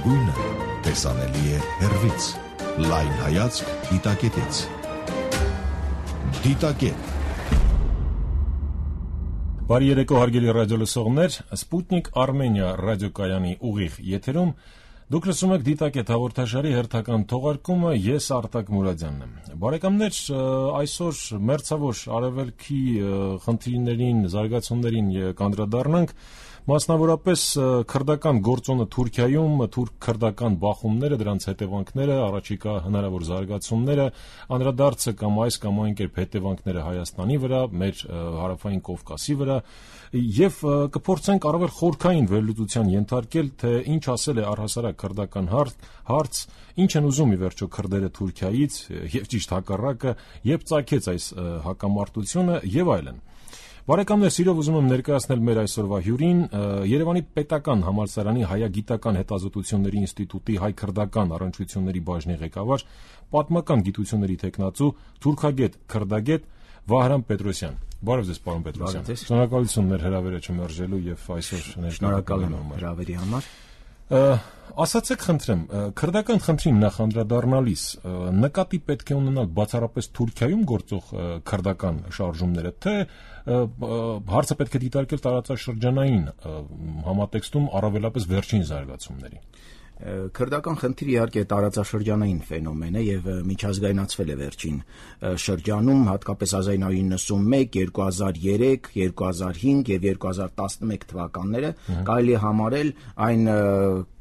լավագույնը տեսանելի է հեռվից։ Լայն հայացք դիտակետից։ Դիտակետ։ Բարի երեկո հարգելի ռադիոլսողներ, Սպուտնիկ Արմենիա ռադիոկայանի ուղիղ եթերում դուք լսում եք Դիտակետ հաղորդաշարի հերթական թողարկումը, ես Արտակ Մուրադյանն եմ։ Բարեկամներ, այսօր մերձավոր արևելքի խնդիրներին, զարգացումներին կանդրադառնանք, մասնավորապես քրդական գործոնը Թուրքիայում, թուրք-քրդական բախումները, դրանց հետևանքները, առաջիկա հնարավոր զարգացումները, անդրադարձը կամ այս կամ այն կերպ հետևանքները Հայաստանի վրա, մեր հարավային Կովկասի վրա, եւ կփորձենք առավել խորքային վերլուծության ենթարկել, թե ինչ ասել է առհասարակ քրդական հարց, ինչ են ուզում ի վերջո քրդերը Թուրքիայից եւ ճիշտ հակառակը, երբ ծագեց այս հակամարտությունը եւ այլն։ Բարեկամներ, սիրով ուզում եմ ներկայացնել մեր այսօրվա հյուրին, Երևանի պետական համալսարանի հայագիտական հետազոտությունների ինստիտուտի հայ-քրդական առնչությունների բաժնի ղեկավար, պատմական գիտությունների թեկնածու, թուրքագետ, քրդագետ Վահրամ Պետրոսյան։ Բարև ձեզ, պարոն Պետրոսյան։ Շնորհակալություն մեր հրավերը չմերժելու եւ այսօր շնորհակալ եմ հրավերի համար։ Ասացեք, խնդրեմ, քրդական խնդրին նախանդրադառնալիս նկատի պետք է ունենալ բացառապես Թուրքիայում գործող քրդական շարժումները, թե հարցը պետք է դիտարկել տարածաշրջանային համատեքստում առավելապես վերջին զարգացումների։ Քրդական խնդիրը իհարկե տարածաշրջանային ֆենոմեն է եւ միջազգայնացվել է վերջին շրջանում, հատկապես 1991, 2003, 2005 եւ 2011 թվականները կարելի է համարել այն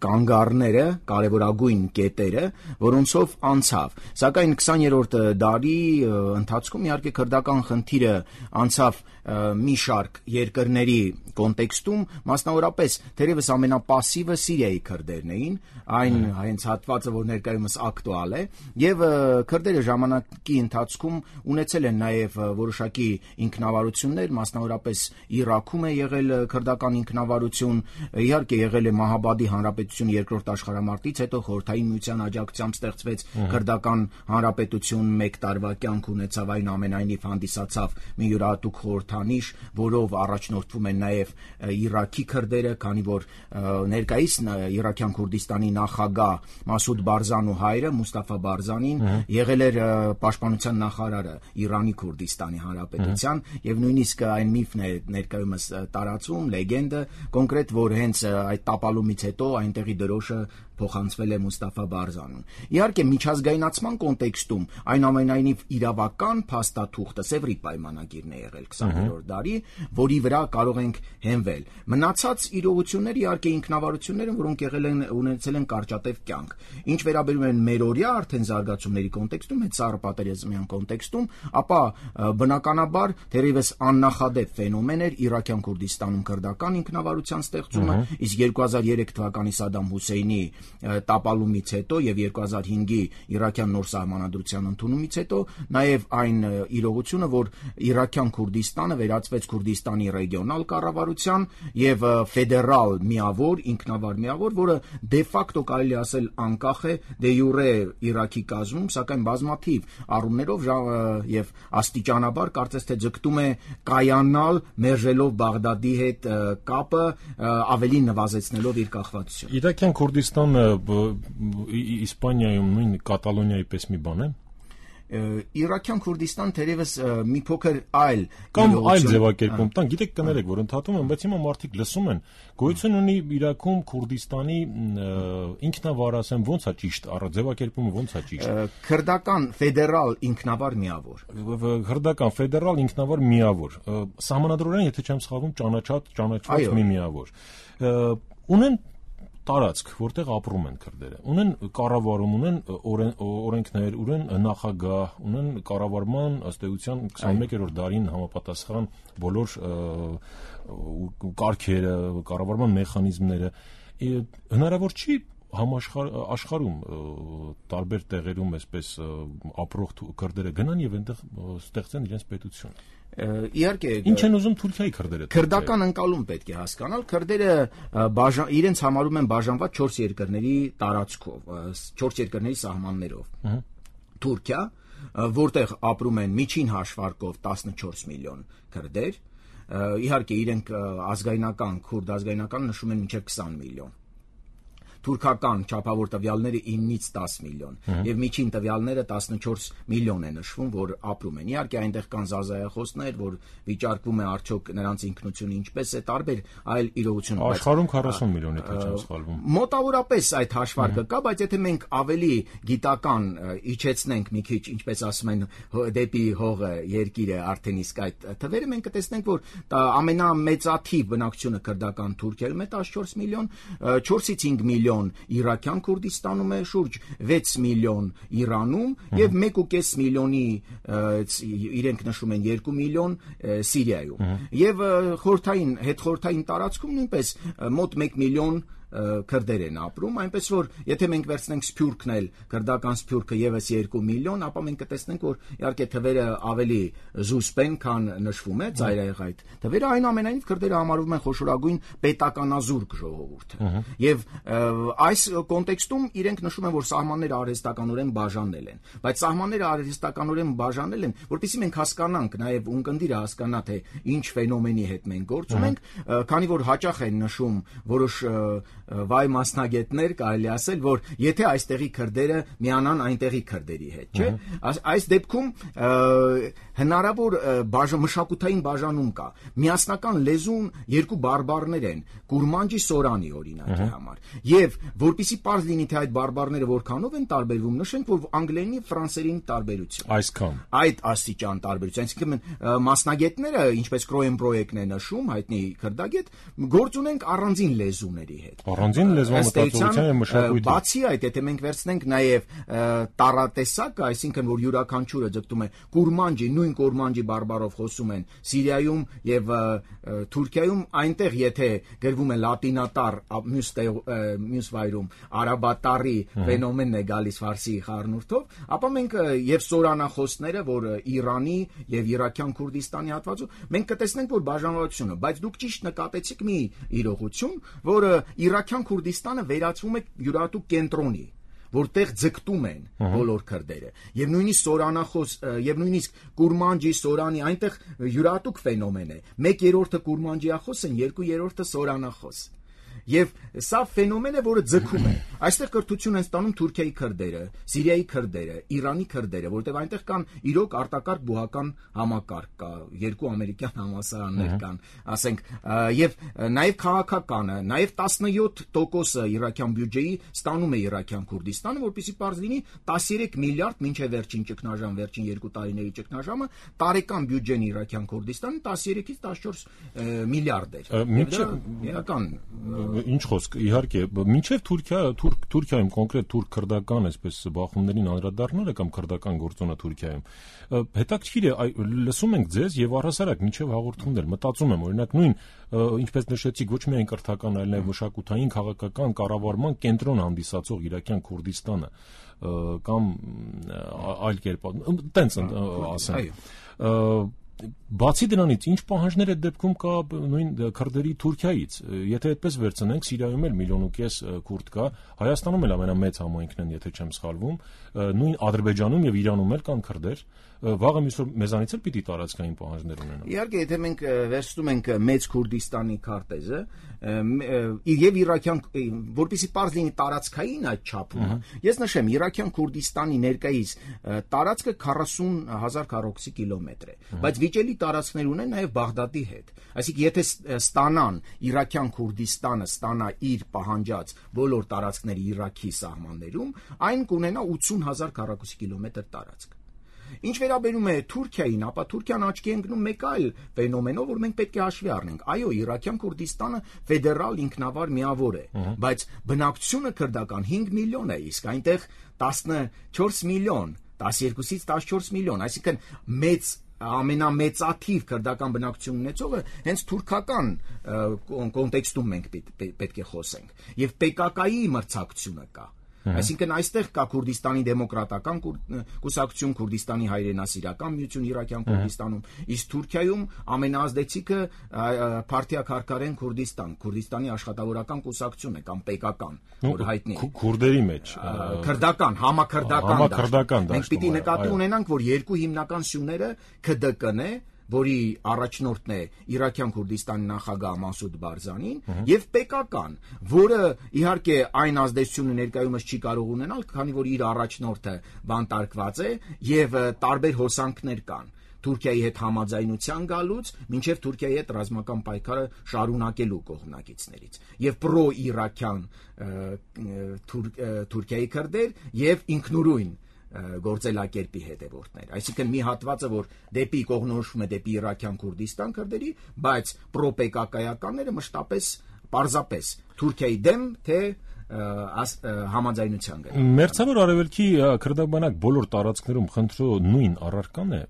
կանգառները, կարևորագույն կետերը, որոնցով անցավ։ Սակայն 20-րդ դարի ընթացքում իհարկե քրդական խնդիրը անցավ մի շարք երկրների կոնտեքստում, մասնավորապես թերևս ամենապասիվը Սիրիայի քրդերն էին, այն հենց հատվածը, որ ներկայումս ակտուալ է, եւ քրդերը ժամանակի ընթացքում ունեցել են նաեւ որոշակի ինքնավարություններ, մասնավորապես Իրաքում է եղել քրդական ինքնավարություն, իհարկե եղել է Մահաբադի հանրապետություն երկրորդ աշխարհամարտից հետո Խորհրդային Միության աջակցությամբ ստեղծվեց քրդական հանրապետություն, 1 տարվա կյանք ունեցավ, այնուամենայնիվ հանդիսացավ մի յուրահատուկ խորհրդանիշ, որով առաջնորդվում են նաեւ Իրաքի քրդերը, քանի որ ներկայիս Իրաքյան Քուրդիստանի նախագահ Մասուդ Բարզանու հայրը Մուստաֆա Բարզանին եղել էր պաշտպանության նախարարը Իրանի Քուրդիստանի հանրապետության եւ նույնիսկ այն միֆն է ներկայումս տարածում, լեգենդը կոնկրետ, որ հենց այդ տապալումից հետո այնտեղի դրոշը փոխանցվել է Մուստաֆա Բարզանուն։ Իհարկե միջազգայնացման կոնտեքստում այնուամենայնիվ իրավական փաստաթուղթը Սևրի պայմանագիրն է եղել 20-րդ դարի, որի վրա կարող ենք հենվել։ Մնացած իրողությունները իհարկե ինքնավարությունները, որոնք եղել են ունեցել են կարճատև կյանք։ Ինչ վերաբերում են մերօրյա արդեն զարգացումների կոնտեքստում, այդ սառը պատերազմյան կոնտեքստում, ապա բնականաբար թերևս աննախադեպ ֆենոմեն էր Իրաքյան Քուրդիստանում քրդական ինքնավարության ստեղծումը, իսկ 2003 թվականի Սադամ Հուսեյնի տապալումից հետո եւ 2005-ի Իրաքյան նոր սահմանադրության ընդունումից հետո նաեւ այն իրողությունը, որ Իրաքյան Քուրդիստանը վերածվեց Քուրդիստանի ռեգիոնալ կառավարության եւ ֆեդերալ միավոր, ինքնավար միավոր, որը դե ֆակտո կարելի ասել անկախ է դե յուրե Իրաքի կազմում, սակայն բազմաթիվ առումներով եւ աստիճանաբար կարծես թե ձգտում է կայանալ մերժելով Բաղդադի հետ կապը, ավելի նվազեցնելով իր կախվածությունը։ Իրաքյան Քուրդիստանը Իսպանիայում նույն Կատալոնիայի պես մի բան է։ Իրաքյան Քուրդիստան թերևս մի փոքր այլ կամ այլ ձևակերպում տան, գիտեք կներեք, որ ընդհատում են, բայց հիմա մարդիկ լսում են, գոյություն ունի Իրաքում Քուրդիստանի ինքնավարացեմ ոնց է ճիշտ, ձևակերպումը ոնց է ճիշտ։ Քրդական ֆեդերալ ինքնավար միավոր։ Քրդական ֆեդերալ ինքնավար միավոր։ Սահմանադրորեն, եթե չեմ սխալվում, ճանաչված մի միավոր։ Ունեն տարածք, որտեղ ապրում են քրդերը, ունեն կառավարում, ունեն օրենքներ, ունեն նախագահ, ունեն կառավարման ըստ էության 21-րդ դարին համապատասխան բոլոր կարգերը, կառավարման մեխանիզմները։ Հնարավոր չի աշխարհում տարբեր տեղերում այսպես ապրող քրդերը գնան եւ այնտեղ ստեղծեն իրենց պետություն։ Իհարկե ինչ են ուզում Թուրքիայի քրդերը։ Քրդական ընկալում պետք է հասկանալ, քրդերը իրենց համարում են բաժանված 4 երկրների տարածքով, 4 երկրների սահմաններով։ Թուրքիա, որտեղ ապրում են միջին հաշվարկով 14 միլիոն քրդեր, իհարկե իրենք ազգայնական, քուրդ ազգայնական նշում են մինչև 20 միլիոն։ թուրքական չափավոր տվյալները 9-ից 10 միլիոն եւ միջին տվյալները 14 միլիոն է նշվում, որ ապրում են։ Իհարկե այնտեղ կան զազայախոսներ, որ վիճարկվում է արդյոք նրանց ինքնությունը ինչպես է, տարբեր այլ իրողություն։ Աշխարհում 40 միլիոն է, թե չեմ սխալվում։ Մոտավորապես այդ հաշվարկը կա, բայց եթե մենք ավելի գիտական իջեցնենք մի քիչ, ինչպես ասում են, դեպի հողը, երկիրը, արդեն իսկ այդ թվերը մենք կտեսնենք, որ ամենամեծաթիվ բնակչությունը քրդական Թուրքիայում է 14 միլիոն, 4-ից 5 միլիոն Իրաքյան Քուրդիստանում է, շուրջ 6 միլիոն Իրանում եւ 1.5 միլիոնի իրենք նշում են 2 միլիոն Սիրիայում։ Եվ հետխորհրդային տարածքում նույնպես մոտ 1 միլիոն քրդեր են ապրում, այնպես որ եթե մենք վերցնենք Սփյուռքն էլ, քրդական Սփյուռքը եւս 2 միլիոն, ապա մենք կտեսնենք, որ իհարկե թվերը ավելի զուսպ են, քան նշվում է ծայրահեղ այդ թվերը, այնուամենայնիվ քրդերը համարվում են խոշորագույն պետականազուրկ ժողովուրդը։ Եվ այս կոնտեքստում իրենք նշում են, որ սահմանները արհեստականորեն բաժանել են, բայց սահմանները արհեստականորեն բաժանել են, որպեսզի մենք հասկանանք, նաեւ ունկնդիրը հասկանա, թե ինչ ֆենոմենի հետ մենք գործ ունենք, քանի որ հաճախ են նշում որոշ վայ մասնագետներ, կարելի ասել, որ եթե այստեղի քրդերը միանան այնտեղի քրդերի հետ, չէ՞։ Այս դեպքում հնարավոր մշակութային բաժանում կա։ Միասնական լեզուն երկու բարբառներ են, Կուրմանջի Սորանի օրինակի համար։ Եվ որpիսի պարզ լինի, թե այդ բարբառները որքանով են տարբերվում, նշենք, որ անգլերենի ֆրանսերենի տարբերություն։ Այսքան։ Այդ աստիճան տարբերություն, այսինքն մասնագետները, ինչպես Կրոենբրոեկն է նշում, հայտնի քրդագետ, գործ ունենք առանձին լեզուների հետ։ Առանձին լեզվամտածողության եւ մշակույթի։ Բացի այդ, եթե մենք վերցնենք նաեւ տառատեսակը, այսինքն որ յուրաքանչյուրը ձգտում է Կուրմանջի, նույն Կուրմանջի բարբառով խոսում են Սիրիայում եւ Թուրքիայում, այնտեղ եթե գրվում է լատինատառ, մյուս վայրում արաբատառի ֆենոմենն է գալիս ֆարսի խառնուրդով, ապա մենք եւ սորանախոսները, որ Իրանի եւ Իրաքյան Քուրդիստանի հատվածում, մենք կտեսնենք, որ բաժանվածությունը, բայց դուք ճիշտ նկատեցիք մի իրողություն, որը Իրաքյան Քուրդիստանը վերածվում է յուրահատուկ կենտրոնի, որտեղ ձգտում են բոլոր քրդերը, եւ նույնիսկ սորանախոս եւ նույնիսկ Կուրմանջի Սորանի այնտեղ յուրահատուկ ֆենոմեն է։ 1/3 Կուրմանջիախոս են, 2/3 սորանախոս։ Եվ սա ֆենոմեն է, որը ձգում է։ Այստեղ կրթություն են ստանում Թուրքիայի քրդերը, Սիրիայի քրդերը, Իրանի քրդերը, որտեղ այնտեղ կան իրոք արտակարգ բուհական համակարգ կա, 2 ամերիկյան համալսարաններ կան, ասենք, եւ նաեւ քաղաքականը, նաեւ 17% իրաքյան բյուջեի ստանում է Իրաքյան Քուրդիստանը, որպեսզի պարզ լինի 13 միլիարդ մինչեւ վերջին ճգնաժամ, վերջին 2 տարիների ճգնաժամը, տարեկան բյուջեն Իրաքյան Քուրդիստանը 13-ից 14 միլիարդ էր։ Իրական Ինչ խոսք, իհարկե, մինչև Թուրքիայում կոնկրետ թուրք-քրդական այսպես բախումներին անդրադառնալը կամ քրդական գործոնը Թուրքիայում, հետաքրքիր է, լսում ենք ձեզ եւ առհասարակ մինչև հաղորդումներ մտածում եմ, օրինակ նույն, ինչպես նշեցիք, ոչ միայն կրթական, այլ նաեւ մշակութային, քաղաքական կառավարման կենտրոն հանդիսացող Իրաքյան Քուրդիստանը կամ այլ կերպ, տենց ասեմ։ Բացի դրանից, ինչ պահանջներ է դեպքում կա նույն քրդերի Թուրքիայից։ Եթե այդպես վերցնենք, Սիրիայում էլ 1.5 միլիոն քուրդ կա, Հայաստանում էլ ամենամեծ համայնքն են, եթե չեմ սխալվում, նույն Ադրբեջանում եւ Իրանում էլ կան քրդեր։ Վաղը մեզանից էլ պիտի տարածքային պահանջներ ունենան։ Իհարկե, եթե մենք վերցնում ենք մեծ Քուրդիստանի քարտեզը, եւ Իրաքյան, որպեսզի պարզ լինի տարածքային այդ չափումը, ես նշեմ, Իրաքյան Քուրդիստանի ներկայիս տարածքը 40,000 քառակուսի կիլոմետր է, բայց վիճելի տարածքներ ունեն նաեւ Բաղդադի հետ։ Այսինքն, եթե ստանան Իրաքյան Քուրդիստանը ստանա իր պահանջած բոլոր տարածքները Իրաքի սահմաններում, այն կունենա 80,000 քառակուսի կիլոմետր տարածք։ Ինչ վերաբերում է Թուրքիային, ապա Թուրքիան աչքի է ընկնում մեկ այլ ֆենոմենով, որ մենք պետք է հաշվի առնենք։ Այո, Իրաքյան Քուրդիստանը ֆեդերալ ինքնավար միավոր է, բայց բնակչությունը քրդական 5 միլիոն է, իսկ այնտեղ 14 միլիոն, 12-ից 14 միլիոն, այսինքն ամենամեծաթիվ քրդական բնակչություն ունեցողը հենց թուրքական կոնտեքստում մենք պետք է խոսենք։ Եվ PKK-ի մրցակցությունը կա։ Այսինքն այստեղ կա Քուրդիստանի դեմոկրատական կուսակցություն, Քուրդիստանի հայրենասիրական միություն Իրաքյան Քուրդիստանում, իսկ Թուրքիայում ամենաազդեցիկը Փարթիա-Քարքարեն Քուրդիստան, Քուրդիստանի աշխատավորական կուսակցություն է կամ PKK-ն, որ հայտնի է։ Քուրդերի մեջ քրդական, համաքրդական։ Մենք պիտի նկատի ունենանք, որ երկու հիմնական սյուները KDK-ն է, որի առաջնորդն է Իրաքյան Քուրդիստանի նախագահ Մասուդ Բարզանին, եւ պետական, որը իհարկե այն ազդեցությունը ներկայումս չի կարող ունենալ, քանի որ իր առաջնորդը բանտարկված է եւ տարբեր հոսանքներ կան Թուրքիայի հետ համաձայնության գալուց մինչև Թուրքիայի հետ ռազմական պայքարը շարունակելու կողմնակիցներից եւ պրո-իրաքյան Թուրքիայի քրդեր եւ ինքնուրույն գործելակերպի հետևորդներ, այսինքն մի հատվածը, որ դեպի կողմնորոշվում է դեպի Իրաքյան Քուրդիստան քրդերի, բայց պրոպեկակայականները մշտապես պարզապես Թուրքիայի դեմ թե համաձայնության գնալ։ Մերձավոր Արևելքի քրդաբանակ բոլոր տարածքներում խնդրո նույն առարկան է,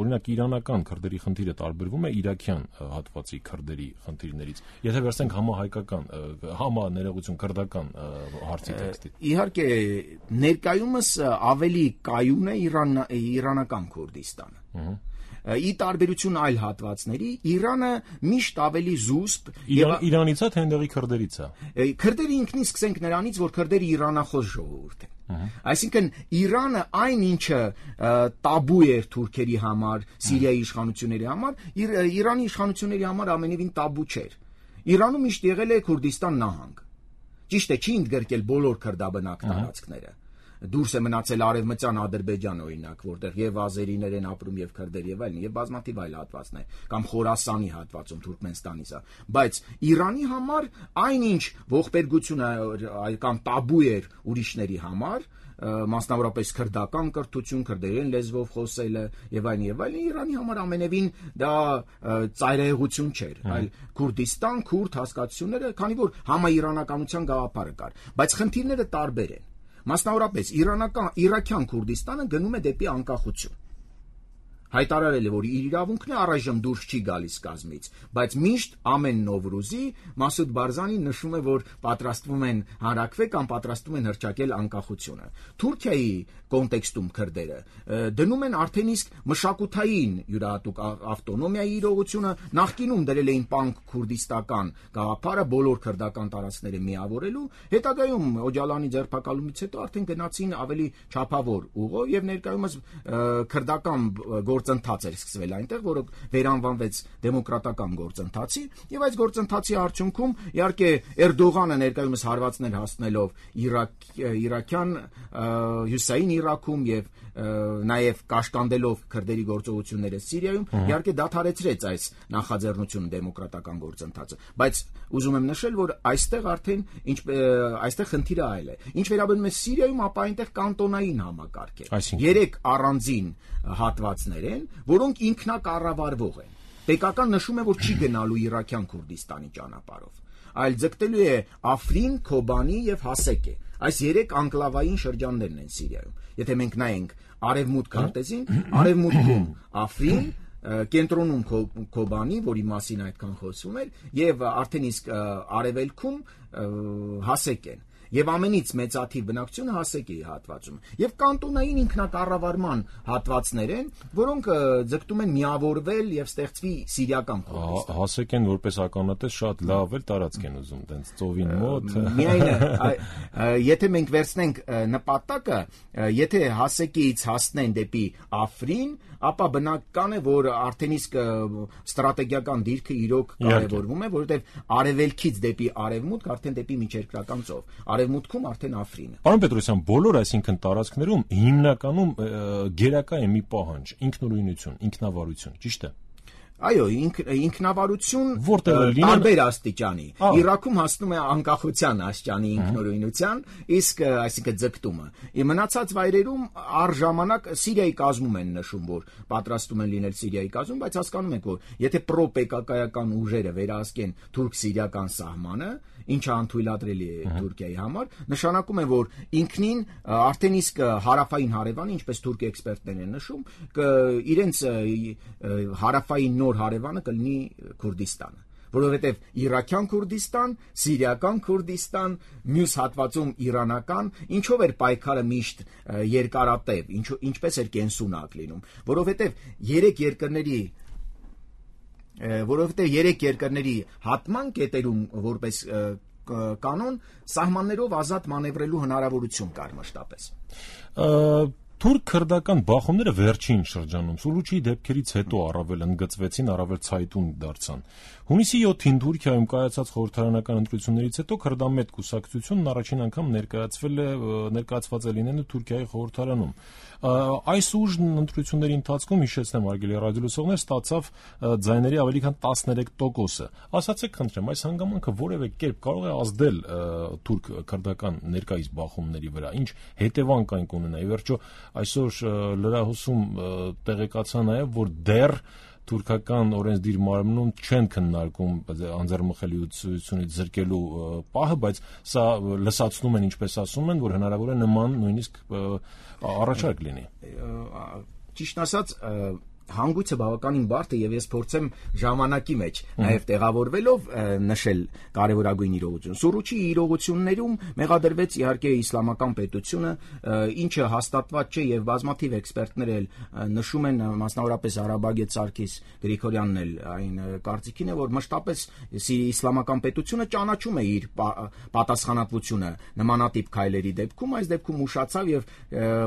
օրինակ իրանական քրդերի խնդիրը տարբերվում է իրաքյան հատվածի քրդերի խնդիրներից, եթե վերցնենք համահայկական, համաներողություն քրդական հարցի տեքստի։ Իհարկե ներկայումս ավելի կայուն է իրանական Քուրդիստանը։ Ի տարբերություն այլ հատվածների, Իրանը միշտ ավելի զուսպ Իրանից է թե այնտեղի քրդերից է։ Քրդերը ինքնին սկսենք նրանից, որ քրդերը իրանախոս ժողովուրդ են։ Այսինքն Իրանը այն ինչը տաբու էր թուրքերի համար, Սիրիայի իշխանությունների համար, Իրանի իշխանությունների համար ամենևին տաբու չէր։ Իրանում միշտ եղել է Քուրդիստան նահանգ։ Ճիշտ է, չի ընդգրկել բոլոր քրդաբնակ տարածքները։ Դուրս է մնացել Արևմտյան Ադրբեջան օրինակ, որտեղ եւ ազերիներ են ապրում եւ քրդեր եւ այլն, եւ բազմաթիվ այլ հատվածներ, կամ Խորասանի հատվածում Թուրքմենստանից է, բայց Իրանի համար այնինչ ողբերգությունը կամ տաբու էր ուրիշների համար, մասնավորապես քրդական կրթություն, քրդերեն լեզվով խոսելը եւ այլն, Իրանի համար ամենևին դա ծայրահեղություն չէր, այլ Քուրդիստան, քուրդ հասկացությունները, քանի որ համաիրանականության գաղափարը կար, բայց խնդիրները տարբեր են։ Մասնավորապես Իրաքյան Քուրդիստանը գնում է դեպի անկախություն։ Հայտարարել է, որ իր իրավունքն է առայժմ դուրս չի գալիս կազմից, բայց միշտ ամեն Նովրուզի Մասուդ Բարզանին նշում է, որ պատրաստվում են հանրակրվել կամ պատրաստվում են հռչակել անկախությունը։ Թուրքիայի կոնտեքստում քրդերը դնում են արդեն իսկ մշակութային յուրահատուկ ավտոնոմիայի իրողությունը, նախկինում դրել էին պանկ քուրդիստական գաղափարը բոլոր քրդական տարածքները միավորելու, հետագայում Օջալանի ձերբակալումից հետո արդեն գնացին ավելի չափավոր ուղով եւ ներկայումս քրդական գործընթաց էր սկսվել այնտեղ, որը վերանվանվեց դեմոկրատական գործընթացի, եւ այս գործընթացի արդյունքում իհարկե Էրդողանը ներկայումս հարվածներ հասնելով իրաքյան հյուսային Իրաքում եւ նաեւ կաշկանդելով քրդերի գործողությունները Սիրիայում, իհարկե դադարեցրեց այս նախաձեռնությունը դեմոկրատական գործընթացը, բայց ուզում եմ նշել, որ այստեղ արդեն այստեղ խնդիրը այլ է։ Ինչ վերաբերում է Սիրիայում, ապա այնտեղ կանտոնային համակարգ է։ 3 առանձին հատվածներ են, որոնք ինքնակառավարվող են։ Պետական նշում է, որ չի գնալու Իրաքյան Քուրդիստանի ճանապարհով, այլ ձգտելու է Աֆրին, Քոբանի եւ Հասեկե։ Այս 3 անկլավային շրջաններն են Սիրիայում։ Եթե մենք նայենք արևմուտք քարտեզին, արևմուտքում Աֆրին, կենտրոնում Քոբանի, որի մասին այդքան խոսում էր, եւ արդեն իսկ արևելքում Հասեկեն։ Եվ ամենից մեծաթիվ բնակչությունը Հասեկեի հատվածում։ Եվ կանտոնային ինքնակառավարման հատվածներ են, որոնք ձգտում են միավորվել եւ ստեղծվի սիրիական Քուրդիստան։ Հասեկեն որպես ականատես շատ լավ էլ տարածք են ուզում, տենց ծովին մոտ։ Միայն եթե մենք վերցնենք նպատակը, եթե Հասեկեից հասնեն դեպի Աֆրին, ապա բնական է, որ արդեն իսկ ստրատեգիական դիրքը իրոք կարևորվում է, որովհետեւ արևելքից դեպի արևմուտք արդեն դեպի միջերկրական ծով։ Արևմուտքում արդեն Աֆրինը։ Պարոն Պետրոսյան, բոլոր այսինքն տարածքներում հիմնականում գերակա է մի պահանջ՝ ինքնուրույնություն, ինքնավարություն, ճիշտ է։ Այո, ինքնավարություն տարբեր աստիճանի։ Իրաքում հասնում է անկախության աստիճանի ինքնուրույնության, իսկ այսինքն ձգտումը։ Մնացած վայրերում առժամանակ Սիրիայի կազմում են նշում, որ պատրաստում են լինել Սիրիայի կազմում, բայց հասկանում եք, որ եթե պրոպեկակայական ուժերը վերահսկեն թուրք-սիրիական սահմանը, ինչը անթույլատրելի է Թուրքիայի համար, նշանակում է, որ ինքնին արդեն իսկ հարավային հարևանը, ինչպես թուրք էքսպերտներ են նշում, իրենց հարավային նոր հարևանը կլինի Քուրդիստանը, որովհետև Իրաքյան Քուրդիստան, Սիրիական Քուրդիստան, մյուս հատվածում իրանական, ինչով էր պայքարը միշտ երկարատև, ինչպես էր կենսունակ լինում, որովհետև երեք երկրների հատման կետերում որպես կանոն սահմաններով ազատ մանևրելու հնարավորություն կար մշտապես։ Թուրք-քրդական բախումները վերջին շրջանում Սուլուչի դեպքերից հետո առավել ընդգծվեցին, առավել ցայտուն դարձան։ Հունիսի 7-ին Թուրքիայում կայացած խորհրդարանական ընտրություններից հետո քրդամետ կուսակցությունն առաջին անգամ ներկայացված է լինելու Թուրքիայի խորհրդարանում։ Այս ուժ ընտրությունների ընթացքում, հիշեցնեմ արգելի ռադիոլսողներ, ստացավ ձայների ավելի քան 13%-ը։ Ասացեք խնդրեմ, այս հանգամանքը որևէ կերպ կարող է ազդել թուրք-քրդական ներկայիս բախումների վրա, ինչ հետևանք կունենա։ Ի վերջո այսօր լրահոսում տեղեկացա նաև, որ դեռ թուրքական օրենսդիր մարմնում չեն քննարկում անձեռնմխելիությունից զրկելու պահը, բայց սա լսացնում են, ինչպես ասում են, որ հնարավոր է նման նույնիսկ առաջարկ լինի։ Ճիշտ ասած, հանգույցը բավականին բարդ է, եւ ես փորձեմ ժամանակի մեջ նաև տեղավորվելով նշել կարևորագույն իրողություն։ Սուրուչի իրողություններում մեղադրվեց իհարկե իսլամական պետությունը, ինչը հաստատված չէ եւ բազմաթիվ էքսպերտներ էլ նշում են, մասնավորապես Արաբագետ Սարգիս Գրիգորյանն էլ այն կարծիքին է, որ մշտապես իսլամական պետությունը ճանաչում է իր պատասխանատվությունը նմանատիպ քայլերի դեպքում, այս դեպքում ուշացավ եւ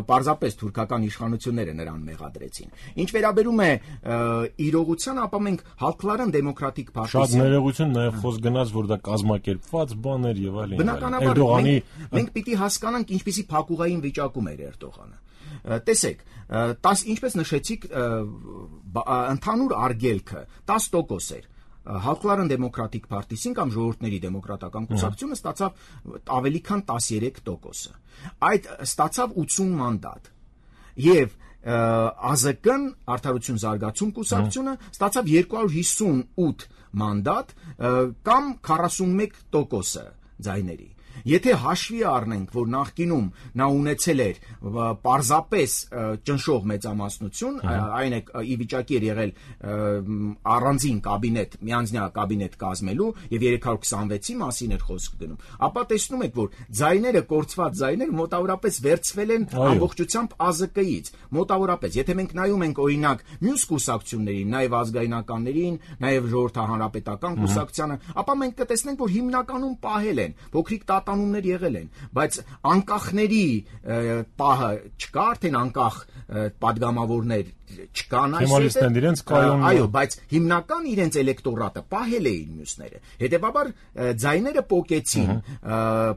պարզապես թուրքական իշխանությունները նրան մեղադրեցին։ Ինչ վերաբերում է իրողությանը, ապա մենք Հալքլարան դեմոկրատիկ պարտիան շատ ներողություն, նաև խոսք գնաց, որ դա կազմակերպված բան էր եւ այլն։ Բնականաբար մենք պիտի հասկանանք ինչպիսի փակուղային վիճակում էր Էրդողանը։ Տեսեք, ինչպես նշեցիք, ընդհանուր արգելքը 10% էր։ Հալքլարան դեմոկրատիկ պարտիան կամ ժողովուրդների դեմոկրատական կուսակցությունը ստացավ ավելի քան 13%։ Այդ ստացավ 80 մանդատ։ Եւ ԱԶԿ-ն Արդարություն զարգացում կուսակցությունը ստացավ 258 մանդատ կամ 41% ձայների։ Եթե հաշվի առնենք, որ նախկինում նա ունեցել էր պարզապես ճնշող մեծամասնություն, այն է ի վիճակի էր եղել առանձին կաբինետ, միանձնյա կաբինետ կազմելու եւ 326-ի մասին էր խոսք գնում, ապա տեսնում եք, որ ձայները, կորցված ձայները մոտավորապես վերցվել են ամբողջությամբ ԱԶԿ-ից, մոտավորապես։ Եթե մենք նայում ենք օրինակ մյուս կուսակցություններին, նաեւ ազգայնականներին, նաեւ ժողովրդահանրապետական կուսակցությանը, ապա մենք կտեսնենք, որ հիմնականում պահել են, փոքրիկ տատանումներ եղել են, բայց անկախների պահը չկա, արդեն անկախ падգամավորներ չկան այսօր։ Այո, բայց հիմնական իրենց էլեկտորատը պահել էին մյուսները։ Հետևաբար ձայները պոկեցին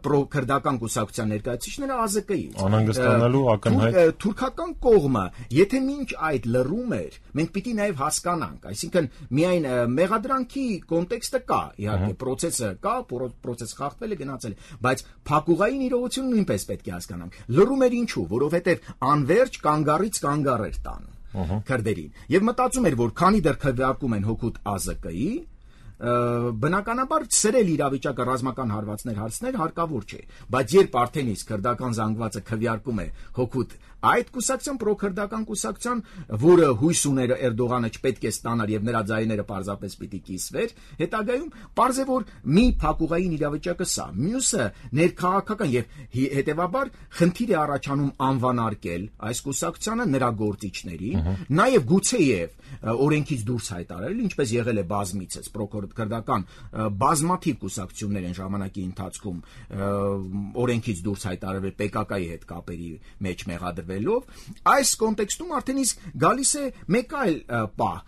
պրոքրդական կուսակցության ներկայացուցիչները ԱԶԿ-ից։ Անհանգստանալու ակնհայտ թուրքական կողմը, եթե մինչ այդ լռում էր, մենք պիտի նաև հասկանանք, այսինքն միայն մեղադրանքի կոնտեքստը կա, իհարկե process-ը կա, process խախտվել է, գնացել է, բայց փակուղային իրողությունը նույնպես պետք է հասկանանք։ Լռում էր ինչու, որովհետև անverջ կանգառից կանգառ էր տանում քրդերին եւ մտածում էր, որ քանի դեռ քվեարկում են հօգուտ ԱԶԿ-ի, բնականաբար սրել իրավիճակը ռազմական հարվածներ հարցներ հարկավոր չէ, բայց երբ արդեն իսկ քրդական զանգվածը քվեարկում է հօգուտ այդ կուսակցության պրոքրդական կուսակցության, որը հույս ուներ Էրդողանը չպետք է ստանար եւ նրա ձայները պարզապես պիտի կիսվեր, հետագայում պարզ է, որ մի փակուղային իրավիճակը սա, մյուսը ներքաղաքական եւ հետեւաբար խնդիր է առաջանում անվանարկել այս կուսակցությանը նրա գործիչներին, նաեւ գուցեև օրենքից դուրս հայտարարել, ինչպես եղել է բազմիցս պրոքրդական բազմաթիվ կուսակցություններ են ժամանակի ընթացքում օրենքից դուրս հայտարարվել ՊԿԿ-ի հետ կապերի մեջ մեղադրվելով, այս կոնտեքստում արդեն իսկ գալիս է մեկ այլ պահ,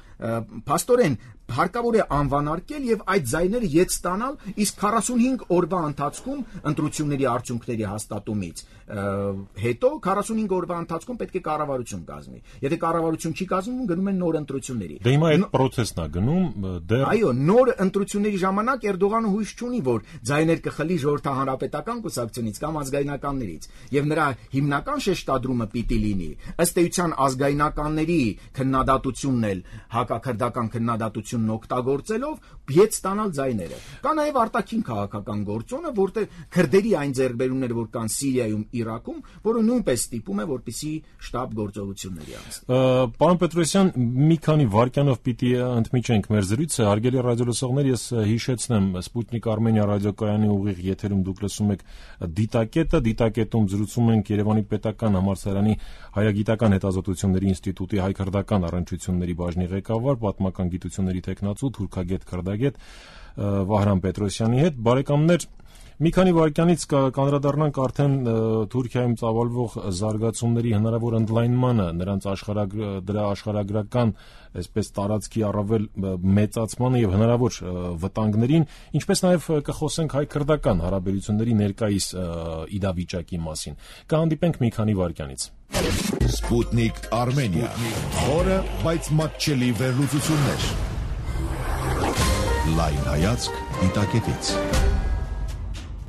փաստորեն հարկավոր է անվանարկել եւ այդ ձայները ետ ստանալ, իսկ 45 օրվա ընթացքում ընտրությունների արդյունքների հաստատումից հետո 45 օրվա ընթացքում պետք է կառավարություն կազմի։ Եթե կառավարություն չի կազմում, գնում են նոր ընտրությունների։ Դե հիմա այդ process-ն է գնում դեռ։ Այո, նոր ընտրությունների ժամանակ Էրդողանը հույս չունի, որ ձայներ կխլի ժողովրդահանրապետական կուսակցությունից կամ ազգայնականներից, եւ նրա հիմնական շեշտադրումը պիտի լինի ըստ էության ազգայնականների քննադատությունն էլ հակաքրդական քննադատությունն օգտագործելով ետ ստանալ ձայները։ Կա նաև արտաքին քաղաքական գործոնը, որտեղ քրդերի այն ձեռքբերումները, որ կան Սիրիայում, Իրաքում, որը նույնպես ստիպում է, որպեսզի շտաբ գործողությունների անցնի։ Պարոն Պետրոսյան, մի քանի վայրկյանով պիտի ընդմիջենք մեր զրույցը։ Հարգելի ռադիոլսողներ, ես հիշեցնեմ, Սպուտնիկ Արմենիա ռադիոկայանի ուղիղ եթերում դուք լսում եք Դիտակետը, Դիտակետում զրուցում ենք Երևանի պետական համալսարանի Հայագիտական հետազոտությունների ինստիտուտի հայ-քրդական առնչությունների բաժնի ղեկավար, պատմական գիտությունների տեխնացու թուրքագետ քրդագետ Վահրամ Պետրոսյանի հետ։ Բարեկամներ, մի քանի վայրկյանից կանդրադառնանք արդեն Թուրքիայում ծավալվող զարգացումների հնարավոր ընդլայնմանը, նրանց դրա աշխարհագրական, այսպես տարածքի առավել մեծացմանը եւ հնարավոր վտանգներին, ինչպես նաեւ կխոսենք հայ-քրդական հարաբերությունների ներկայիս իրավիճակի մասին։ Կհանդիպենք մի քանի վայրկյանից։ Սպուտնիկ Արմենիա, խորը, բայց մատչելի վերլուծություններ։ Լայն հայացք դիտակետից։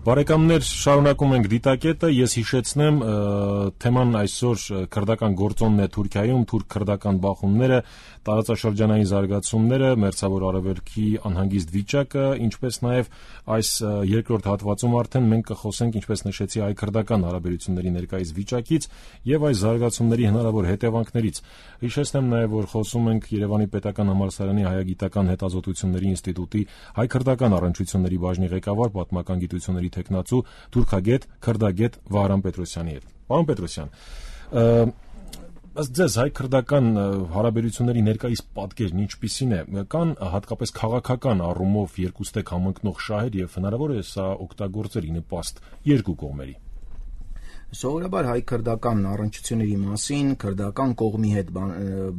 Բարեկամներ, շարունակում ենք դիտակետը, ես հիշեցնեմ, թեման այսօր քրդական գործոնն է Թուրքիայում, թուրք-քրդական բախումները, տարածաշրջանային զարգացումները, մերձավոր արևելքի անհանգիստ վիճակը, ինչպես նաև այս երկրորդ հատվածում արդեն մենք կխոսենք, ինչպես նշեցի, հայ-քրդական հարաբերությունների ներկայիս վիճակից եւ այս զարգացումների հնարավոր հետևանքներից։ Հիշեցնեմ նաև, որ խոսում ենք Երևանի Պետական համալսարանի հայագիտական հետազոտությունների ինստիտուտի հայ-քրդական առնչությունների բաժնի ղեկավար, պատմական գիտությունների տեխնացու թուրքագետ քրդագետ Վահրամ Պետրոսյանի հետ։ Պարոն Պետրոսյան, ըստ ձեզ հայ-քրդական հարաբերությունների ներկայիս պատկերն ինչպիսին է, կան հատկապես քաղաքական առումով երկուստեք համընկնող շահեր եւ հնարավոր է սա օգտագործել ի նպաստ երկու կողմերի։ Սովորաբար հայ-քրդական առնչությունների մասին քրդական կողմի հետ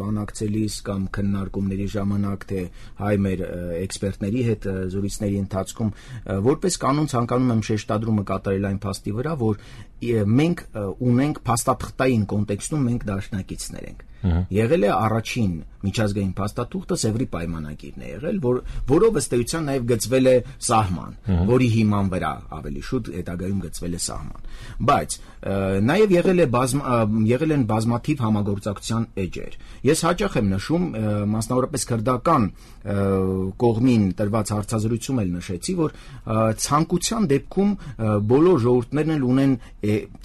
բանակցելիս կամ քննարկումների ժամանակ թե հայ մեր էքսպերտների հետ զրույցների ընթացքում որպես կանոն ցանկանում եմ շեշտադրումը կատարել այն փաստի վրա, որ մենք ունենք փաստաթղթային կոնտեքստում մենք դաշնակիցներ ենք։ Եղել է առաջին միջազգային փաստաթուղթը Սևրի պայմանագիրն է եղել, որով ըստ էության նաև գծվել է սահման, որի հիման վրա ավելի շուտ հետագայում գծվել է սահման։ Բայց նաև եղել են բազմաթիվ համագործակցության էջեր։ Ես հաճախ եմ նշում, մասնավորապես քրդական կողմին տրված հարցազրույցում էլ նշեցի, որ ցանկության դեպքում բոլոր ժողովուրդներն էլ ունեն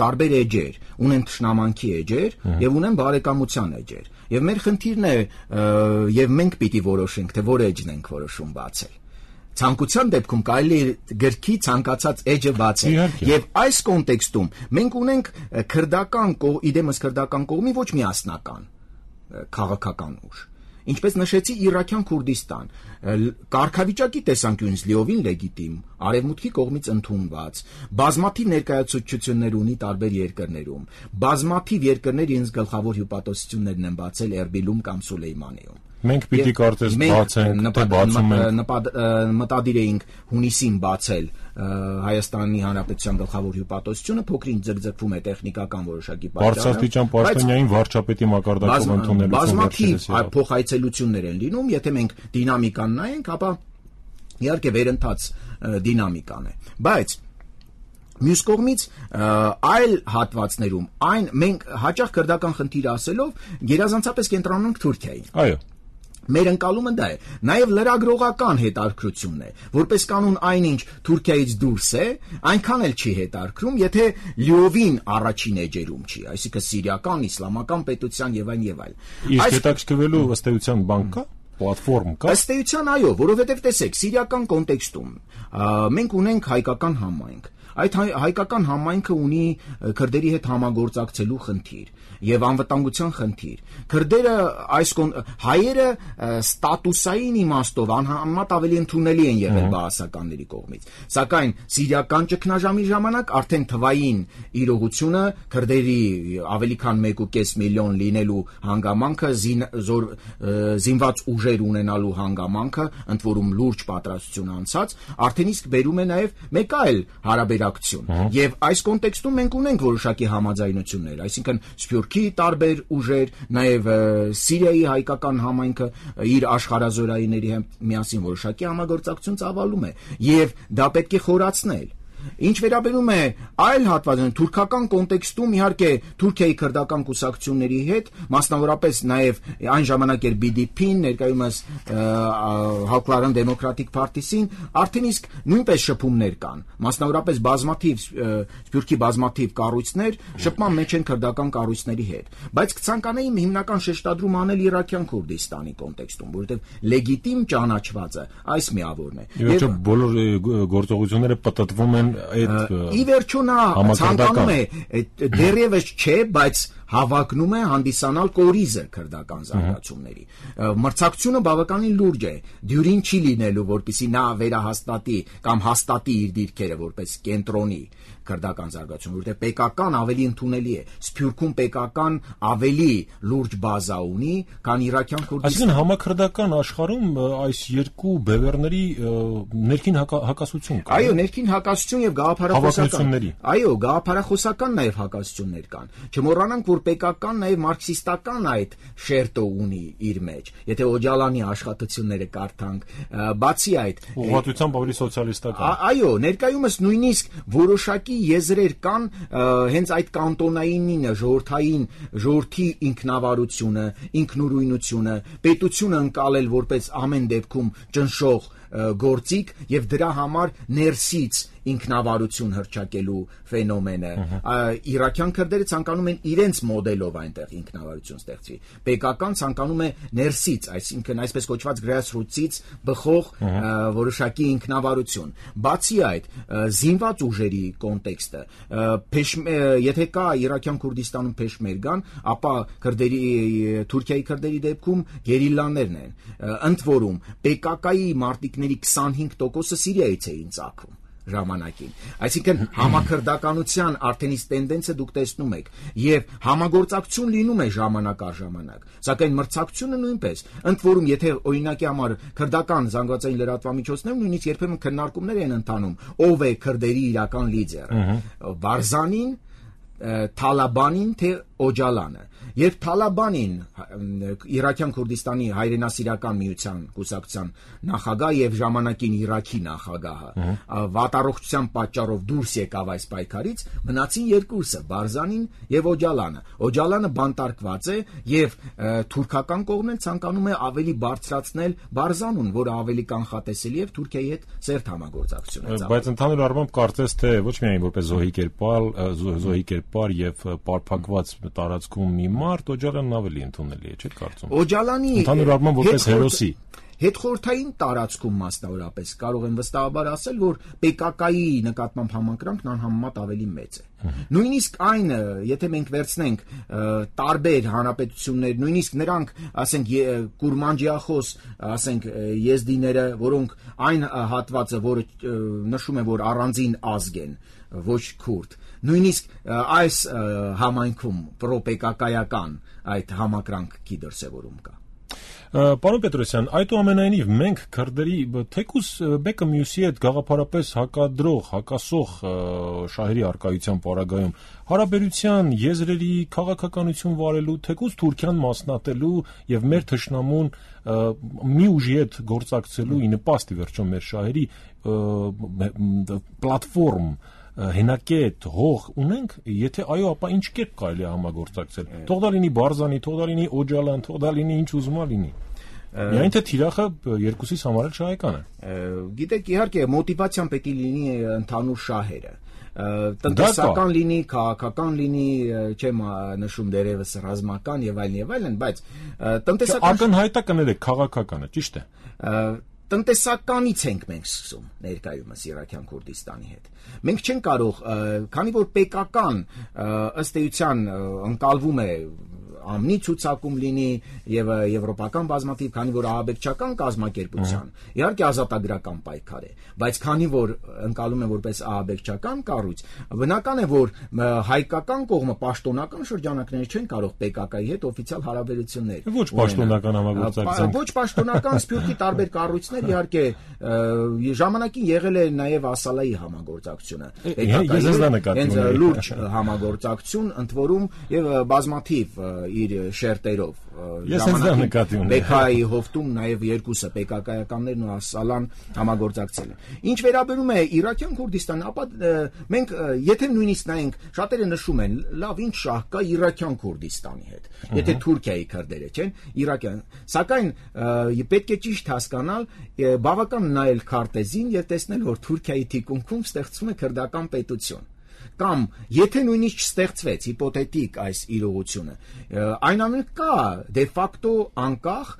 տարբեր էջեր, ունեն թշնամանքի էջեր եւ ունեն բարեկամության էջեր։ Եվ մեր խնդիրն է, եւ մենք պիտի որոշենք, թե որ էջն ենք որոշում բացել։ Ցանկության դեպքում կարելի է գրքի ցանկացած էջը բացել։ Եվ այս կոնտեքստում մենք ունենք իդեմս քրդական կողմի ոչ միասնական քաղաքական ուժ։ Ինչպես նշեցի, Իրաքյան Քուրդիստան կարգավիճակի տեսանկյունից լիովին լեգիտիմ, արևմուտքի կողմից ընդունված, բազմաթիվ ներկայացուցչություններ ունի տարբեր երկրներում, բազմաթիվ երկրներ իրենց գլխավոր հյուպատոսություններն են բացել Էրբիլում կամ Սուլեյմանիում։ Մենք պիտի կարծես բացենք, թե բացում ենք, մտադիր էինք հունիսին բացել Հայաստանի Հանրապետության գլխավոր հյուպատոսությունը, փոքրինչ ձգձգվում է տեխնիկական որոշակի պատճառով։ Բարձրաստիճան պաշտոնյային վարչապետի մակարդակով ընդունելու բազմաթիվ փոխայցելություններ են լինում, եթե մենք դինամիկան նայենք, ապա իհարկե վերընթաց դինամիկան է։ Բայց մյուս կողմից այլ հատվածներում մենք հաճախ քրդական խնդիր ասելով գերազանցապես կենտրոնանանք Թուրքիային։ Այո։ Մեր ընկալումը դա է։ Նաև լրագրողական հետաքրքրությունն է, որպես կանոն այնինչ Թուրքիայից դուրս է, այնքան էլ չի հետաքրքրում, եթե լիովին առաջին էջերում չի, այսինքն սիրիական, իսլամական պետության եւ այլ։ Իսկ հետաքրքրվելու ըստ էության բան կա, պլատֆորմ կա։ Ըստ էության այո, որովհետեւ տեսեք, սիրիական կոնտեքստում մենք ունենք հայկական համայնք։ Այդ հայկական համայնքը ունի քրդերի հետ համագործակցելու խնդիր եւ անվտանգության խնդիր։ Քրդերը հայերը ստատուսային իմաստով անհամեմատ ավելի ընդունելի են եղել բաասականների կողմից։ Սակայն սիրիական ճգնաժամի ժամանակ արդեն թվային իրողությունը քրդերի ավելի քան 1.5 միլիոն լինելու հանգամանքը, զինված ուժեր ունենալու հանգամանքը, ընդ որում լուրջ պատրաստություն անցած, արդեն իսկ բերում է նաեւ մեկ այլ հարաբերակցություն։ Եվ այս կոնտեքստում մենք ունենք որոշակի համաձայնություններ, այսինքն Սփյուռքի տարբեր ուժեր, նաև Սիրիայի հայկական համայնքը իր աշխարհազորայինների հետ միասին որոշակի համագործակցություն ծավալում է, եւ դա պետք է խորացնել։ Ինչ վերաբերում է այլ հատվածին, թուրքական կոնտեքստում իհարկե Թուրքիայի քրդական կուսակցությունների հետ, մասնավորապես նաև այն ժամանակ էր BDP-ն, ներկայումս Հակլարան Դեմոկրատիկ Փարթիսին, արդեն իսկ նույնպես շփումներ կան, մասնավորապես Սփյուռքի բազմաթիվ կառույցներ շփման մեջ են քրդական կառույցների հետ, բայց կցանկանայի հիմնական շեշտադրում անել Իրաքյան Քուրդիստանի կոնտեքստում, որովհետև լեգիտիմ ճանաչվածը այս միավորն է։ Եվ բոլոր գործողությունները պատտվում են Ի վերջո նա ցանկանում է դեռևս չէ, բայց հավակնում է հանդիսանալ կորիզը քրդական զարգացումների։ Մրցակցությունը բավականին լուրջ է, դյուրին չի լինելու, որպեսզի նա վերահաստատի կամ հաստատի իր դիրքերը որպես կենտրոնի քրդական զարգացում, որտեղ պետական ավելի ընդունելի է։ Սփյուռքում պետական ավելի լուրջ բազա ունի, քան Իրաքյան Քուրդիստանը։ Այսինքն համաքրդական աշխարհում այս երկու բևեռների ներքին հակասություն կա։ Այո, ներքին հակասություն եւ գաղափարախոսական։ Այո, գաղափարախոսական նաեւ հակասություններ կան։ Չմոռանանք, որ պետական նաեւ մարքսիստական այդ շերտը ունի իր մեջ։ Եթե Օջալանի աշխատությունները կարդանք, բացի այդ, ուղղատությամբ ավելի սոցիալիստական։ Այո, ներկայումս նույնիսկ որոշակի եզրեր կան հենց այդ կանտոնայինինը, ժողովրդի ինքնավարությունը, ինքնուրույնությունը, պետությունը ընկալել որպես ամեն դեպքում ճնշող գործիք եւ դրա համար ներսից ինքնավարություն հռչակելու ֆենոմենը։ Իրաքյան քրդերը ցանկանում են իրենց մոդելով այնտեղ ինքնավարություն ստեղծվի։ Պետական ցանկանում է ներսից, այսինքն այսպես կոչված grassroots-ից բխող որոշակի ինքնավարություն։ Բացի այդ, զինված ուժերի կոնտեքստը, եթե կա Իրաքյան Քուրդիստանում փեշմերգան, ապա Թուրքիայի քրդերի դեպքում գերիլաներն են։ Ընդ որում, PKK-ի մարտիկների 25%-ը Սիրիայից էին ծագում ժամանակին։ Այսինքն համաքրդականության արդեն իսկ տենդենսը դուք տեսնում եք եւ համագործակցություն լինում է ժամանակ առ ժամանակ, սակայն մրցակցությունը նույնպես։ Ընդ որում, եթե օրինակի համար քրդական զանգվածային լրատվամիջոցներում նույնիսկ երբեմն քննարկումներ են ընթանում, ով է քրդերի իրական լիդերը՝ Բարզանին, Թալաբանին, թե Օջալանը։ Երբ Թալաբանին Իրաքյան Քուրդիստանի հայրենասիրական միության կուսակցության նախագահ եւ ժամանակին Իրաքի նախագահը վատառողջության պատճառով դուրս եկավ այս պայքարից, մնացին երկուսը՝ Բարզանին եւ Օջալանը։ Օջալանը բանտարկված է եւ թուրքական կողմն էլ ցանկանում է ավելի բարձրացնել Բարզանուն, որը ավելի կանխատեսելի եւ Թուրքիայի հետ ծերտ համագործակցություն է ծավալում։ Բայց ընդհանուր առմամբ կարծես թե ոչ միայն որպես զոհի կերպար եւ պարփակված տարածքում մի մարդ Օջալանն ավելի ընդունելի է, չէ՞ կարծում։ Օջալանի ընդհանուր առմամբ որպես հերոսի հետխորհրդային տարածքում մասնավորապես կարող եմ վստահաբար ասել, որ PKK-ի նկատմամբ համակրանքն անհամեմատ ավելի մեծ է։ Նույնիսկ այն, եթե մենք վերցնենք տարբեր հանրապետություններ, նույնիսկ նրանք, ասենք, կուրմանջիախոս, ասենք, եզդիները, որոնք այն հատվածը, որը նշում է, որ առանձին ազգ են, ոչ քուրդ, նույնիսկ այս համայնքում պրոպեկակայական այդ համակրանքի դրսևորում կա։ Պարոն Պետրոսյան, այդուամենայնիվ մենք քրդերի թեկուզ մեկը մյուսի հետ գաղափարապես հակադրող, հակասող շահերի առկայության պարագայում հարաբերության եզրերի քաղաքականություն վարելու, թեկուզ Թուրքիան մասնատելու եւ մեր թշնամուն մի ուժի հետ գործակցելու ի նպաստ ի վերջո մեր շահերի պլատֆորմ հենակետ հող ունենք, եթե այո, ապա ինչ կերպ կարելի է համագործակցել։ Թող դա լինի Բարզանի, թող դա լինի Օջալան, թող դա լինի ինչ ուզում լինի։ Միայն թե թիրախը երկուսից համար էլ շահեկան է։ Գիտեք, իհարկե, մոտիվացիան պետք է լինի ընդհանուր շահերը։ Տնտեսական լինի, քաղաքական լինի, չեմ նշում դերևս ռազմական եւ այլն, բայց տնտեսական ակնհայտա կներեք քաղաքականը, ճիշտ է։ Տնտեսականից ենք մենք սկսում ներկայումս Իրաքյան Քուրդիստանի հետ։ Մենք չենք կարող, քանի որ պետական ըստ էության ընկալվում է ամնի ցուցակում լինի եւ եվրոպական բազմաթիվ, քանի որ ահաբեկչական կազմակերպության իհարկե ազատագրական պայքար է, բայց քանի որ ընկալում է որպես ահաբեկչական կառույց, բնական է, որ հայկական կողմը պաշտոնական շրջանակները չեն կարող PKK-ի հետ օֆիցիալ հարաբերություններ։ Ոչ պաշտոնական համագործակցություն։ Ոչ պաշտոնական Սփյուռքի տարբեր կառույցներ իհարկե ժամանակին եղել է նաեւ Ասալայի համագործակցությունը։ Հենց լուրջ համագործակցություն, ընդ որում եւ բազմաթիվ իր շերտերով Բեքայի հովտում նաև երկուսը PKK-ականներն ու Ասալան համագործակցել են։ Ինչ վերաբերում է Իրաքյան Քուրդիստանը, ապա մենք եթե նույնիսկ նայենք, շատերը նշում են, լավ, ինչ շահ կա Իրաքյան Քուրդիստանի հետ, եթե Թուրքիայի քրդերը չեն, Իրաքյան, սակայն պետք է ճիշտ հասկանալ, բավական նայել քարտեզին եւ տեսնել, որ Թուրքիայի թիկունքում ստեղծվում է քրդական պետություն։ Կամ եթե նույնիսկ չստեղծվեց հիպոթետիկ այս իրողությունը, այնուամենայնիվ կա դե ֆակտո անկախ,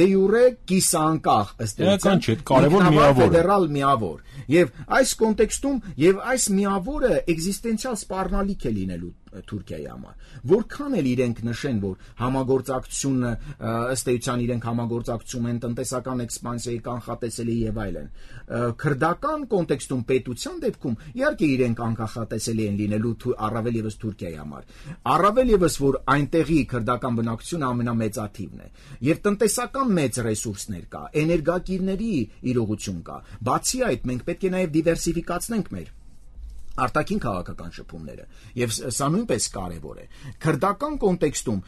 դե յուրե կիսանկախ ըստ էության կարևոր միավոր ֆեդերալ միավոր, եւ այս կոնտեքստում եւ այս միավորը էգզիստենցիալ սպառնալիք է լինելու Թուրքիայի համար։ Որքան էլ իրենք նշեն, որ համագործակցությունը ըստ էության իրենք համագործակցում են տնտեսական էքսպանսիայի կանխատեսելի եւ այլն, քրդական կոնտեքստում պետության դեպքում իհարկե իրենք կանխատեսելի են լինելու առավել եւս Թուրքիայի համար։ Առավել եւս որ այնտեղի քրդական բնակչությունը ամենամեծաթիվն է եւ տնտեսական մեծ ռեսուրսներ կա, էներգակիրների իրողություն կա։ Բացի այդ, մենք պետք է նաեւ դիվերսիֆիկացնենք մեր արտաքին քաղաքական շփումները եւ սա նույնպես կարեւոր է քրդական կոնտեքստում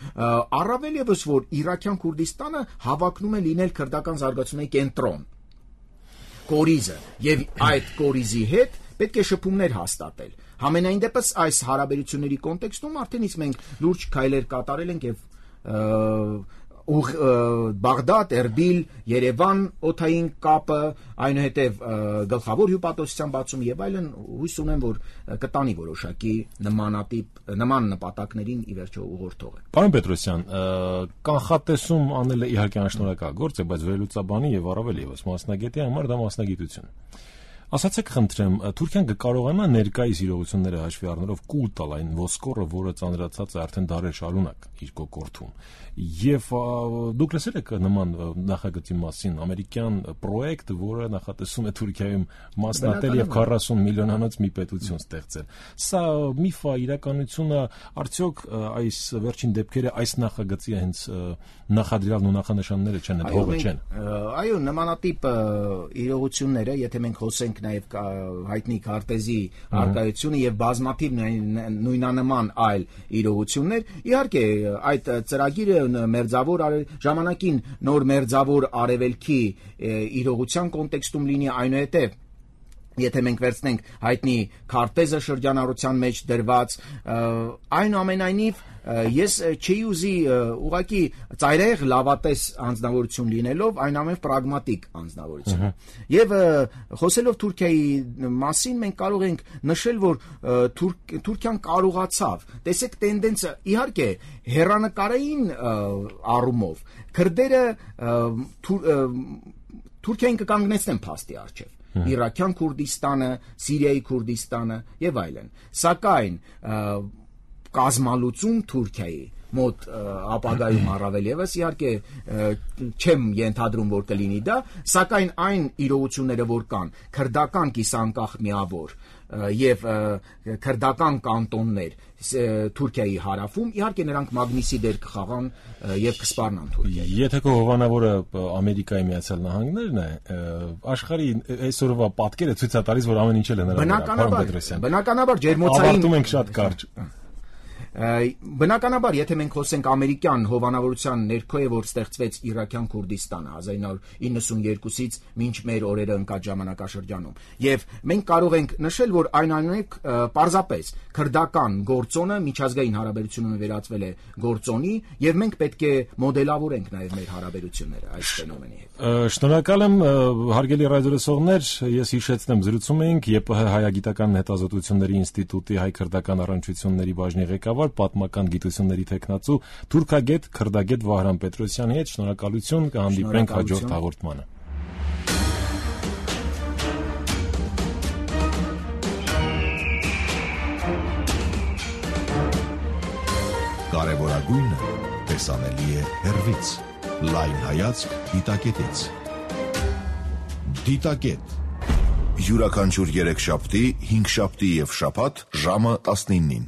առավել եւս որ Իրաքյան Քուրդիստանը հավակնում է լինել քրդական զարգացումների կենտրոն կորիզը եւ այդ կորիզի հետ պետք է շփումներ հաստատել համենայն դեպս այս հարաբերությունների կոնտեքստում արդեն իսկ մենք լուրջ քայլեր կատարել ենք եւ Բաղդադ, Էրբիլ, Երևան օդային կապը, այնուհետև գլխավոր հյուպատոսության բացում եւ այլն հույս ունեմ, որ կտանի որոշակի նման նպատակներին ի վերջո ուղղորդող է։ Պարոն Պետրոսյան, կանխատեսում անելը իհարկե անշնորհակալ գործ է, բայց վերլուծաբանի եւ առավել եւս մասնագետի համար դա մասնագիտություն։ Ասացեք խնդրեմ, Թուրքիան կկարողանա ներկայիս իրողությունները հաշվի առնելով կուլ տալ այն ոսկորը, որը ծանրացած է արդեն դարեր շարունակ իր կոկորդում։ Եվ դուք լսել եք նման նախագծի մասին ամերիկյան պրոյեկտ, որը նախատեսում է Թուրքիայում մասնատել եւ 40 միլիոնանոց մի պետություն ստեղծել։ Սա միֆ է, իրականությունը, արդյոք այս վերջին դեպքերը այս նախագծի հենց նախադրյալն ու նախանշանները չեն, հողը չեն։ Այո, նմանատիպ իրողությունները, եթե մենք խոսենք նաև հայտնի քարտեզի արկայությունը եւ բազմաթիվ նույնանման այլ իրողություններ, իհարկե այդ ծրագիրը մերձավոր ժամանակին նոր մերձավոր արևելքի իրողության կոնտեքստում լինի այնուհետև եթե մենք վերցնենք հայտնի քարտեզը շրջանառության մեջ դրված այնուամենայնիվ ես չի ուզի ուղղակի ծայրահեղ լավատես անձնավորություն լինելով այնուամենայնիվ պրագմատիկ անձնավորություն եւ խոսելով Թուրքիայի մասին մենք կարող ենք նշել որ Թուրքիան կարողացավ տեսեք տենդենսը իհարկե հեռանկարային առումով քրդերը Թուրքիային կկանգնեցնեն փաստի առջև Իրաքյան Քուրդիստանը, Սիրիայի Քուրդիստանը եւ այլն։ Սակայն կազմալուծում Թուրքիայի մոտ ապագայում առավել եւս իհարկե չեմ ենթադրում որ կլինի դա, սակայն այն իրողությունները որ կան, քրդական կիսանկախ միավոր եւ քրդական կանտոններ Թուրքիայի հարավում, իհարկե նրանք մագնիսի դեր կխաղան եւ կսպառնան Թուրքիայի։ Եթե քո հովանավորը Ամերիկայի Միացյալ Նահանգներն է, աշխարհի այսօրվա պատկերը ցույց է տալիս, որ ամեն ինչ էլ է նրա։ Բնականաբար ջերմոցային ավարտում ենք շատ կարճ։ Բնականաբար, եթե մենք խոսենք ամերիկյան հովանավորության ներքո է որ ստեղծվեց Իրաքյան Քուրդիստանը 1992-ից մինչ մեր օրերը ընկած ժամանակաշրջանում եւ մենք կարող ենք նշել որ այնուամենայնիվ պարզապես քրդական գործոնը միջազգային հարաբերությունները վերածվել է գործոնի եւ մենք պետք է մոդելավորենք նաեւ մեր հարաբերությունները այս ֆենոմենի հետ։ Շնորհակալ եմ հարգելի ռադիոլսողներ, ես հիշեցնեմ զրուցում էինք ԵՊՀ հայագիտական հետազոտությունների ինստիտուտի հայ-քրդական առնչությունների բաժնի ղեկավար պատմական գիտությունների թեկնածու թուրքագետ քրդագետ Վահրամ Պետրոսյանի հետ շնորհակալություն կհանդիպենք հաջորդ հաղորդմանը։ Կարևորագույնը տեսանելի է հեռվից, լայն հայացք դիտակետից։ Դիտակետ յուրաքանչյուր 3 շաբթի, 5 շաբթի եւ շաբաթ ժամը 19-ին։